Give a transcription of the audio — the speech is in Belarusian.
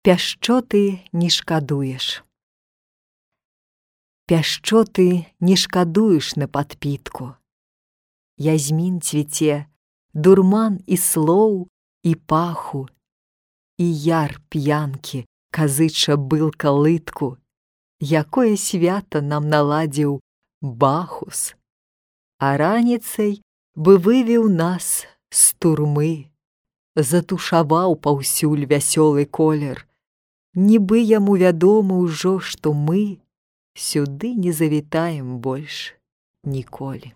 Пяшчоты не шкадуеш. Пяшчоты не шкадуеш на падпітку. Язмін цвіце, дурман і слоў, і паху, і яр п'янкі казыча былка лытку. Якое свята нам наладзіў Бахус, а раніцай бы вывеў нас з турмы, затушаваў паўсюль вясёлы колер. Нібы яму вядома ўжо, што мы сюды не завітаем больш ніколі.